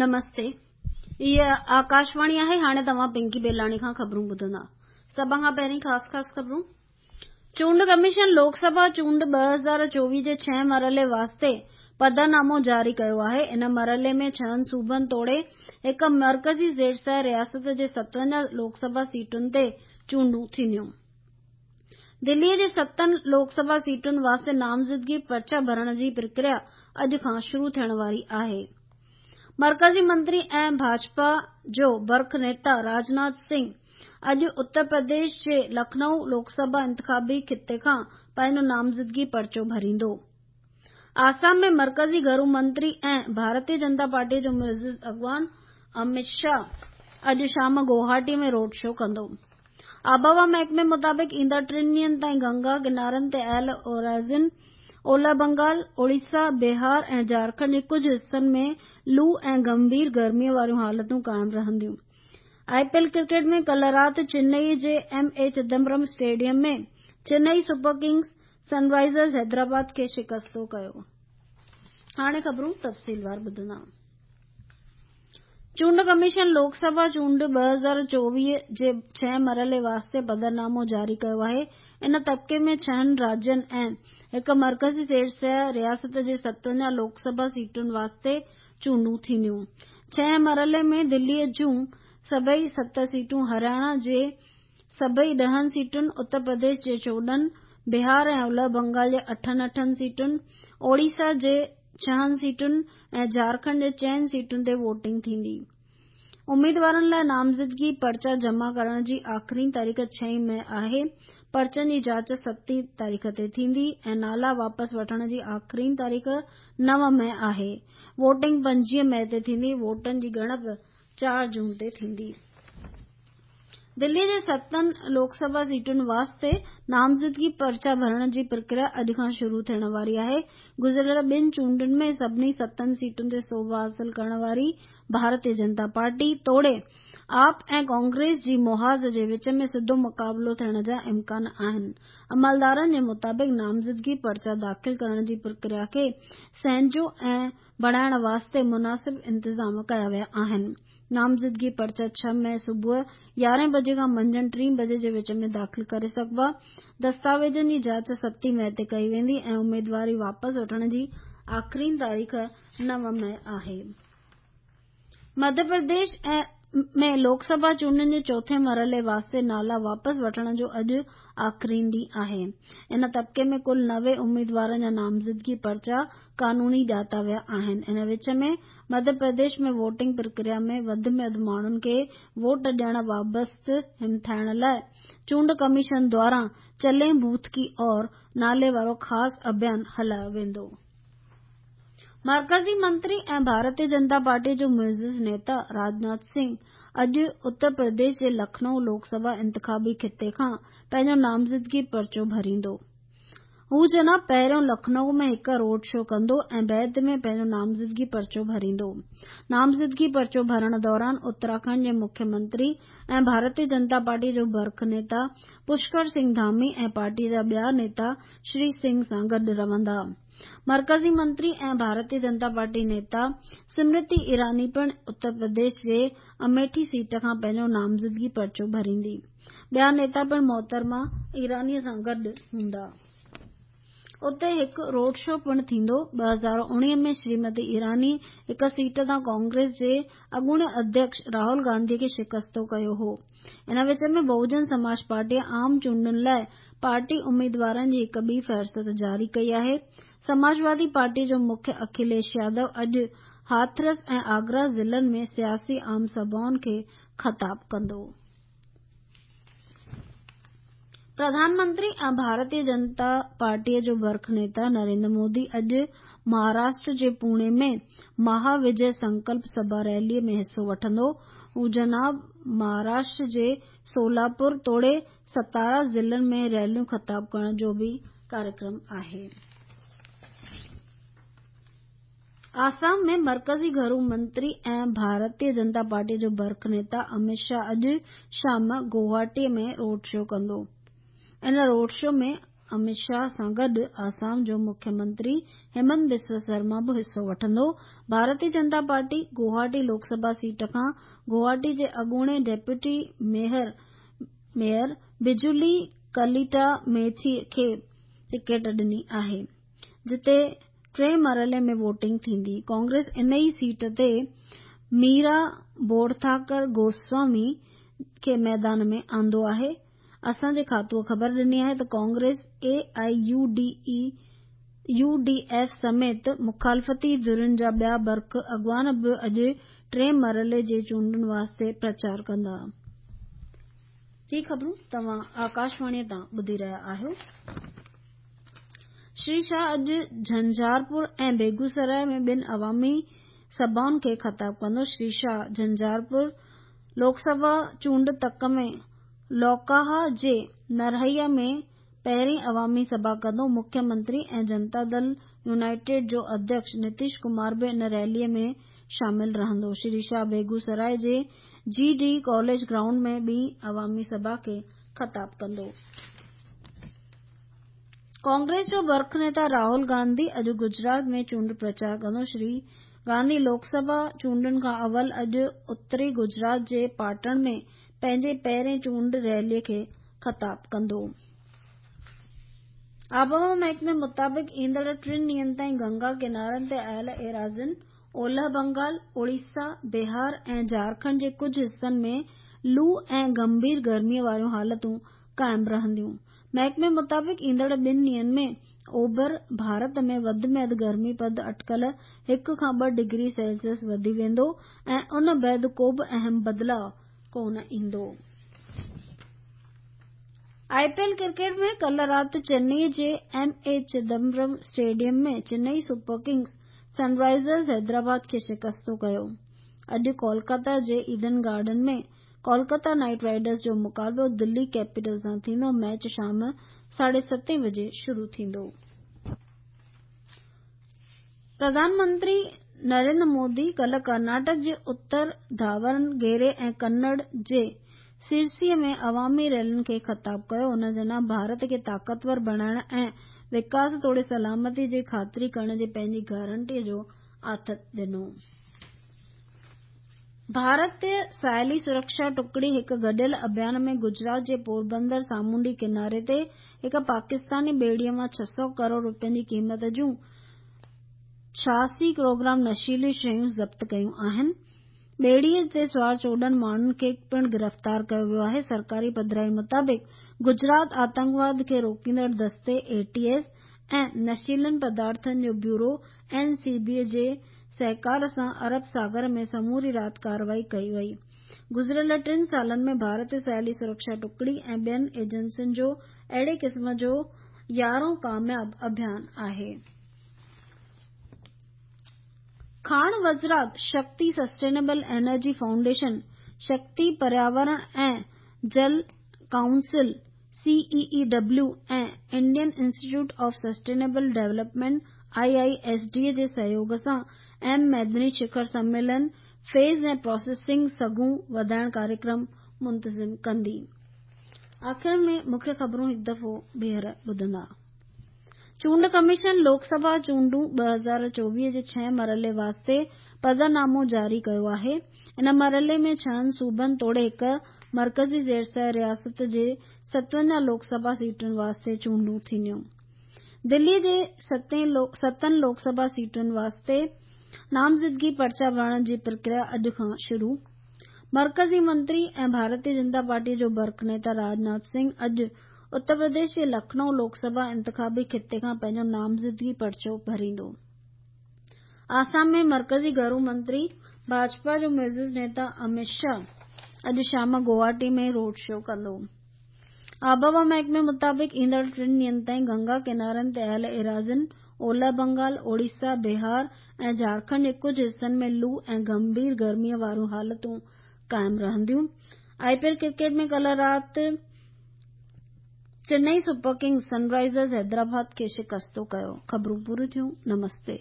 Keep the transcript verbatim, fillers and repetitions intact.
نمستي، هيء آڪاشواڻي آهي. هاڻي توهان پنڪي بيلاڻي کان خبرون ٻڌندا. سڀ کان پهرين خاص خاص خبرون. چونڊ ڪميشن لوڪ سڀا چونڊ ٻه هزار چوويهه جي ڇهين مرحلي واسطي پڌرنامو جاري ڪيو آهي. ان مرحلي ۾ ڇهن صوبن توڙي هڪ مرڪزي زيرسايه رياست جي ستونجاهه لوڪ سڀا سيٽن تي چونڊون ٿينديون. دليء جي ستن لوڪ سڀا سيٽن واسطي نامزدگي پرچا ڀرڻ جي پرڪريا اڄ کان شروع ٿيڻ واري آهي. مرڪزي منتري ۽ ڀاجپا جو برک نيتا راجناٿ سنگهه اڄ اتر پرديش جي لکنؤ لوڪ سڀا انتخابي خطي کان پنهنجو نامزدگي پرچو ڀريندو. آسام ۾ مرڪزي گهرو منتري ۽ ڀارتيه جنتا پارٽيء جو معزز اڳواڻ امت شاهه اڄ شام گوهاٽيء ۾ روڊ شو ڪندو. آبهوا محڪمي مطابق ايندڙ ٽن ڏينهن تائين گنگا ڪنارن تي آيل اورازين، اولهه بنگال، اوڙيسا، بهار ۽ جهارکنڊ جي ڪجهه حصن ۾ لو ۽ گنڀير گرميء واريون حالتون قائم رهنديون. آء پي ايل ڪرڪيٽ ۾ ڪلهه رات چنئي جي M A Chidambaram stadium ۾ Chennai super kings Sunrisers Hyderabad کي شڪستو ڪيو. هاڻي خبرون تفصيلوار ٻڌندا. چونڊ ڪميشن لوڪ سڀا چونڊ ٻه هزار چوويهه جي ڇهين مرحلي واسطي پڌرنامو جاري ڪيو آهي. ان طبقي ۾ ڇهن راجين ۽ هڪ مرڪزي زيرسايه رياست جي ستونجاهه لوڪ سڀا سيٽن واسطي چونڊون ٿينديون. ڇهين مرحلي ۾ دليء جون سڀئي ست سيٽون، هرياڻا جي سڀئي ڏهن سيٽن، اتر پرديش جي چوڏهن، بهار ۽ اولهه بنگال جي اٺن اٺن سيٽن، اوڙيسا جي ڇهن سيٽن ۽ جهارکنڊ جي چئن سيٽن تي ووٽنگ ٿيندي. اميدوارن لاء نامزدگي پرچا جمع ڪرڻ جي آخرين تاريخ ڇهين مئي آهي. پرچن جي جاچ ستين تاريخ تي ٿيندي ۽ نالا واپس وٺڻ جي آخرين تاريخ نو مئي آهي. ووٽنگ پنجويهه مئي تي ٿيندي. ووٽن جي ڳڻپ چار جون تي ٿيندي. دليء جي ستن لوڪ سڀا سيٽن واسطي نامزدگي پرچا ڀرڻ جي پرڪريا اڄ کان شروع ٿيڻ واري آهي. گذريل ٻن چونڊن ۾ سڀني ستن سيٽن تي سوڀ حاصل ڪرڻ واري ڀارتيه جنتا پارٽي توڙي آپ ۽ ڪانگريس جي محاذ جي وچ ۾ سڌو مقابلو ٿيڻ جا امڪان آهن. عملدارن جي مطابق نامزدگي پرچا داخل ڪرڻ جي پرڪريا کي سهنجو ۽ بڻائڻ واسطي مناسب انتظام ڪيا ويا آهن. نامزدگي پرچا ڇهه مئي صبح يارهين بجي کان منجهند ٽين بجي جي وچ ۾ داخل ڪري سگهبا. دستاويزن جي جاچ ستين مئي تي ڪئي ويندي ۽ اميدواري واپس وٺڻ جي آخرين تاريخ نو مئي آهي. مڌيه پرديش ۾ لوڪ سڀا چونڊن جي چوٿين مرحلي واسطي نالا واپس وٺڻ جو اڄ آخرين ڏينهن آهي. ان طبقي ۾ ڪل نوي اميدوارن جا نامزدگي پرچا قانوني ڄاتا ويا آهن. ان وچ ۾ مڌيه پرديش ۾ ووٽنگ پرڪريا ۾ وڌ ۾ وڌ ماڻهن کي ووٽ ڏيڻ بابت همٿائڻ لاء چونڊ ڪميشن دواران چلين بوٿ ڪي اور نالي وارو خاص اڀيان هلايو ويندو. مرڪزي منتري ۽ ڀارتيه جنتا پارٽيء جو معزز نيتا راجناٿ سنگهه اڄ اتر پرديش جي لکنؤ لوڪ سڀا انتخابي خطي کان پنهنجو نامزدگي پرچو ڀريندو. هو جناب پهريون لکنؤ ۾ هڪ روڊ شو ڪندو ۽ بعد ۾ پنهنجو نامزدگي پرچو ڀريندو. نامزدگي پرچو ڀرڻ دوران اتراکنڊ جي مکيه منتري ۽ ڀارتيه جنتا پارٽيء جو برک نيتا پشڪر سنگهه ڌامي ۽ پارٽيء جا ٻيا نيتا شري سنگهه سان گڏ رهندا. مرڪزي منتري ۽ ڀارتيه جنتا پارٽي نيتا سمرتي ايراني پڻ اتر پرديش جي اميٺي سيٽ کان پنهنجو نامزدگي پرچو ڀريندي. ٻيا نيتا پڻ محترمه ايرانيء سان گڏ هوندا. اتي هڪ روڊ شو پڻ ٿيندو. ٻه هزار اڻويهه ۾ شريمتي ايراني هڪ سيٽ تان ڪانگريس جي اڳوڻي اڌيڪش راهول گانڌيء کي شڪستو ڪيو هو. ان وچ ۾ بهوجن سماج پارٽيء عام چونڊن لاء پارٽي اميدوارن جي هڪ ٻي فهرست جاري ڪئي آهي. سماجوادي پارٽيء جو مکي اکليش يادو اڄ هاٿرس ۽ آگرا ضلعن ۾ سياسي عام سڀائن کي خطاب ڪندو. پرڌان منتري ۽ ڀارتيه جنتا پارٽيء جو برک نيتا نريندر مودي اڄ مهاراشٽر جي پوڻي ۾ مها وجي سنڪلپ سڀا ريليء ۾ حصو وٺندو. هو جناب مهاراشٽر جي سولاپور توڙي ستارا ضلعن ۾ ريليون خطاب ڪرڻ جو به ڪاريڪرم آهي. آسام ۾ مرڪزي گهرو منتري ۽ ڀارتيه جنتا پارٽيء جو برک نيتا امت شاهه اڄ شام گوهاٽيء ۾ روڊ شو ڪندو. ان روڊ شو ۾ امت شاهه سان گڏ آسام جو مکيه منتري همنت بسوا سرما به حصو وٺندو. ڀارتيه جنتا پارٽي گوهاٽي لوڪ سڀا سيٽ کان گوهاٽي جي اڳوڻي ڊپٽي ميئر بجولي ڪليٽا ميٿي کي ٽڪيٽ ڏني آهي، جتي ٽئين مرحلي ۾ ووٽنگ ٿيندي. ڪانگريس ان ئي سيٽ تي ميرا بورٿاڪر گوسوامي کي ميدان ۾ آندو آهي. اسان جي کاتوءَ خبر ڏني آهي ته Congress, A I U D F سميت مخالفتي ڌرين جا ٻيا برک اڳواڻ به اڄ ٽئين مرحلي جي چونڊن واسطي پرچار ڪندا. هي خبرون توهان آڪاشواڻيء تان ٻڌي رهيا آهيو. شري شاهه اڄ جهنجهارپور ۽ بيگوسراء ۾ ٻن عوامي سڀائن کي خطاب ڪندو. شري شاهه جهنجهارپور لوڪ سڀا چونڊ تڪ ۾ لوڪاها جي نرهيا ۾ پهرين عوامي سڀا ڪندو. مکيه منتري ۽ جنتا دل يونائيٽيڊ جو اڌيڪش نتيش ڪمار به ان ريليء ۾ شامل رهندو. شري شاهه بيگوسراء جي جي ڊي ڪاليج گرائونڊ ۾ ٻي عوامي سڀا کي خطاب ڪندو. ڪانگريس جو برک نيتا راهول گانڌي اڄ گجرات ۾ چونڊ پرچار ڪندو. شري گانڌي لوڪ سڀا چونڊن کان اول اڄ اتري گجرات جي پاٽڻ ۾ پنهنجي پهرين چونڊ ريليء کي خطاب ڪندو. آبهوا محڪمي مطابق ايندڙ ٽن ڏينهن تائين گنگا ڪنارن تي آيل ايراضين، اولهه بنگال، اوڙيسا، بهار ۽ جهارکنڊ جي ڪجهه حصن ۾ لو ۽ گنڀير گرميء واريون حالتون قائم رهنديون. محڪمي مطابق ايندڙ ٻن ڏينهن ۾ اوڀر ڀارت ۾ وڌ ۾ وڌ گرمي پد اٽڪل هڪ کان ٻه ڊگري سيلسيس وڌي ويندو ۽ ان بعد ڪو به اهم بدلاء ڪونه ايندو. I P L cricket ۾ ڪلهه رات چنئي جي M A Chidambaram stadium ۾ Chennai super kings Sunrisers Hyderabad کي شڪستو ڪيو. اڄ ڪولڪاتا جي Eden garden ۾ Kolkata knight riders جو مقابلو دلي ڪيپيٽل سان ٿيندو. ميچ شام ساڍي ستين بجي شروع ٿيندو. پرڌان منتري نريندر مودي ڪلهه ڪرناٽڪ جي اتر ڌاونگيري ۽ ڪنڙ جي سرسي ۾ عوامي ريلين کي خطاب ڪيو. هن جناح ڀارت کي طاقتور بڻائڻ ۽ وڪاس توڙي سلامتي جي خاطري ڪرڻ جي پنهنجي گارنٽي جو آٿت ڏنو. ڀارتي ساحلي سرڪشا ٽڪڙي هڪ گڏيل اڀيان ۾ گجرات جي پوربندر سامونڊي ڪناري تي هڪ پاڪستاني ٻيڙيء مان ڇهه سؤ ڪروڙ رپين جي قيمت جون ڇهاسي ڪلوگرام نشيلي شيون ضبط ڪيون آهن. ٻيڙيء تي سوار چوڏهن ماڻهن کي پڻ گرفتار ڪيو ويو آهي. سرڪاري پڌرائي مطابق گجرات آتنڪواد کي روڪيندڙ دستي اي ٽي ايس ۽ نشيلن پدارٿن جو بيورو اين سي بي جي سهڪار سان عرب ساگر ۾ سموري رات ڪارروائي ڪئي وئي. گذريل ٽن سالن ۾ ڀارتي ساحلي سرڪشا ٽڪڙي ۽ ٻين ايجنسين جو اهڙي قسم جو يارهون ڪامياب اڀيان آهي. کاڻ وزارت شڪتي سسٽينيبل انرجي فائونڊيشن، شڪتي پرياورڻ ۽ Jal council C E E W ۽ Indian institute of sustainable development I I S D جي سهيوڳ سان اهم ميدني شکر سميلن فيز ۽ پراسيسنگ سگهون وڌائڻ ڪاريڪرم منتظم ڪندي. آخر ۾ مکيه خبرون هڪ دفعو ٻيهر ٻڌندا. چونڊ ڪميشن لوڪ سڀا چونڊون ٻه هزار چوويهه جي ڇهين مرحلي واسطي پڌرنامو جاري ڪيو آهي. ان مرحلي ۾ ڇهن صوبن توڙي هڪ مرڪزي زيرسير رياست جي ستونجاهه لوڪ سڀا سيٽن واسطي چونڊون ٿينديون. دلي جي ستن لوڪ سڀا سيٽن واسطي نامزدگي پرچا ڀرڻ جي پرڪريا اڄ کان شروع. مرڪزي منتري ۽ ڀارتيه جنتا پارٽي جو برک نيتا راجناٿ سنگهه اڄ اتر پرديش جي لکنؤ لوڪ سڀا انتخابي خطي کان پنهنجو نامزدگي پرچو ڀريندو. آسام ۾ مرڪزي گهرو منتري ڀاجپا جو معزز نيتا امت شاهه اڄ شام گوهاٽي ۾ روڊ شو ڪندو. آبهوا محڪمي مطابق ايندڙ ٽن ڏينهن تائين گنگا ڪنارن تي آيل ايراضين، اولهه بنگال، اوڙيسا، بهار ۽ جهارکنڊ جي ڪجهه حصن ۾ لو ۽ گنڀير گرميء واريون حالتون قائم رهنديون. I P L cricket ۾ ڪلهه رات Chennai super kings Sunrisers Hyderabad کي شڪستو ڪيو. خبرون پوريون ٿيون. نمستي.